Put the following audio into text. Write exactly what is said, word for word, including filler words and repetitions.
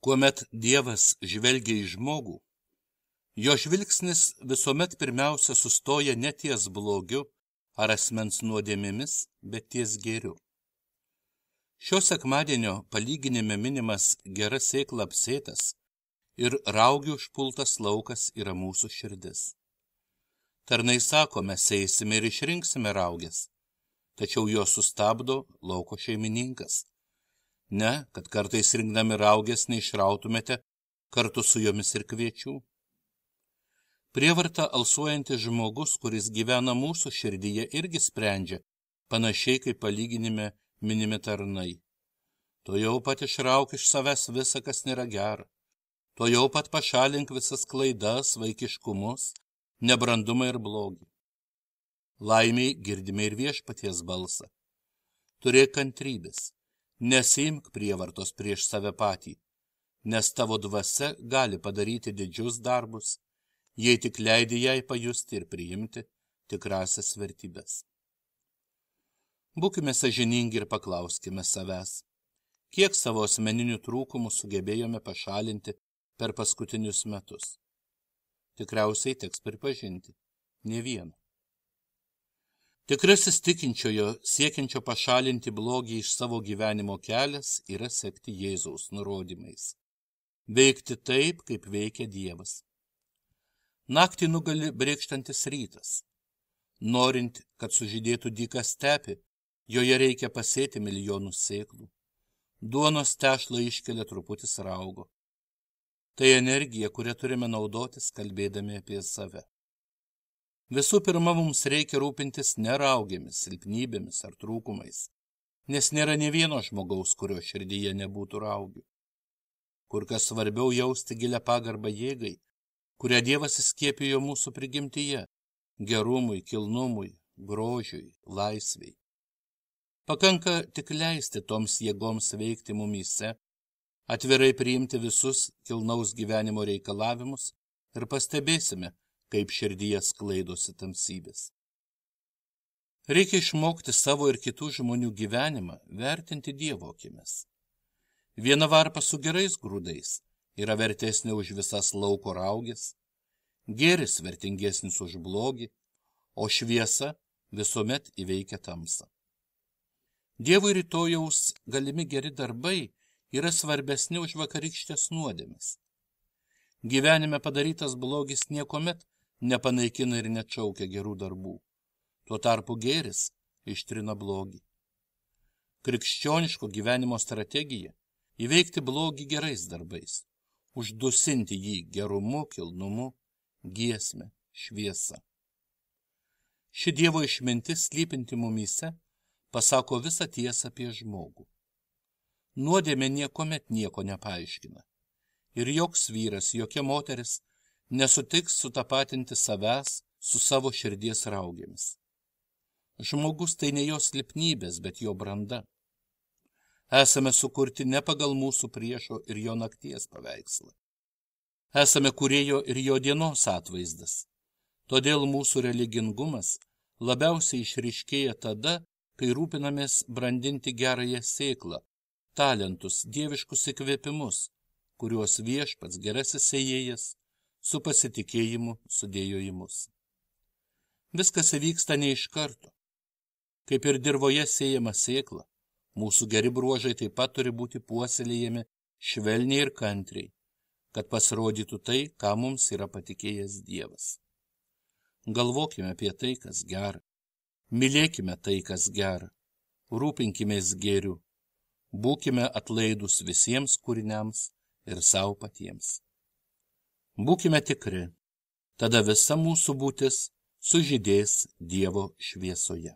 Kuomet Dievas žvelgia į žmogų, jo žvilgsnis visuomet pirmiausia sustoja ne ties blogiu ar asmens nuodėmėmis, bet ties gėriu. Šio sekmadienio palyginime minimas gera sėkla apsėtas ir raugių užpultas laukas yra mūsų širdis. Tarnai sako, mes eisime ir išrinksime raugės, tačiau juos sustabdo lauko šeimininkas. Ne, kad kartais rinkdami raugės neišrautumėte kartu su jomis ir kviečių. Prievarta alsuojantis žmogus, kuris gyvena mūsų širdyje, irgi sprendžia, panašiai kaip palyginime minimi tarnai. To jau pat išrauk iš savęs visa, kas nėra gera. To jau pat pašalink visas klaidas, vaikiškumus, nebrandumą ir blogį. Laimiai girdime ir viešpaties balsą. Turėk kantrybės. Nesiimk prievartos prieš save patį, nes tavo dvasia gali padaryti didžius darbus, jei tik leidi jai pajusti ir priimti tikrasias vertybės. Būkime sąžiningi ir paklauskime savęs, kiek savo asmeninių trūkumų sugebėjome pašalinti per paskutinius metus. Tikriausiai teks pripažinti, ne vieną. Tikrasis tikinčiojo siekiančio pašalinti blogį iš savo gyvenimo kelias yra sekti Jėzaus nurodymais. Veikti taip, kaip veikia Dievas. Naktį nugali brėkštantis rytas. Norint, kad sužydėtų dyka stepė, joje reikia pasėti milijonus sėklų. Duonos tešlą iškelia truputis raugo. Tai energija, kurią turime naudotis, kalbėdami apie save. Visų pirma, mums reikia rūpintis ne raugėmis, silpnybėmis ar trūkumais, nes nėra nė vieno žmogaus, kurio širdyje nebūtų raugių. Kur kas svarbiau jausti gilią pagarbą jėgai, kurią Dievas įskiepijo mūsų prigimtyje, gerumui, kilnumui, grožiui, laisvei. Pakanka tik leisti toms jėgoms veikti mumyse, atvirai priimti visus kilnaus gyvenimo reikalavimus ir pastebėsime, kaip širdyje sklaidosi tamsybės. Reikia išmokti savo ir kitų žmonių gyvenimą vertinti Dievo akimis. Viena varpa su gerais grūdais yra vertesnė už visas lauko raugės, gėris vertingesnis už blogį, o šviesa visuomet įveikia tamsą. Dievui rytojaus galimi geri darbai yra svarbesni už vakarykštės nuodėmes. Gyvenime padarytas blogis niekuomet nepanaikina ir neatšaukia gerų darbų. Tuo tarpu gėris ištrina blogį. Krikščioniško gyvenimo strategija – įveikti blogį gerais darbais, uždusinti jį gerumu, kilnumu, giesme, šviesa. Ši Dievo išmintis slypinti mumyse pasako visą tiesą apie žmogų. Nuodėmė niekuomet nieko nepaaiškina. Ir joks vyras, jokia moteris nesutiks sutapatinti savęs su savo širdies raugėmis. Žmogus tai ne jo silpnybės, bet jo branda. Esame sukurti ne pagal mūsų priešo ir jo nakties paveikslą. Esame kūrėjo ir jo dienos atvaizdas. Todėl mūsų religingumas labiausiai išryškėja tada, kai rūpinamės brandinti gerąją sėklą, talentus, dieviškus įkvėpimus, kuriuos viešpats gerasis sėjėjas su pasitikėjimu sudėjo į mus. Viskas įvyksta ne iš karto. Kaip ir dirvoje sėjama sėkla, mūsų geri bruožai taip pat turi būti puoselėjami švelniai ir kantriai, kad pasirodytų tai, ką mums yra patikėjęs Dievas. Galvokime apie tai, kas gera. Mylėkime tai, kas gera. Rūpinkimės gėriu. Būkime atlaidūs visiems kūriniams ir savo patiems. Būkime tikri, tada visa mūsų būtis sužydės Dievo šviesoje.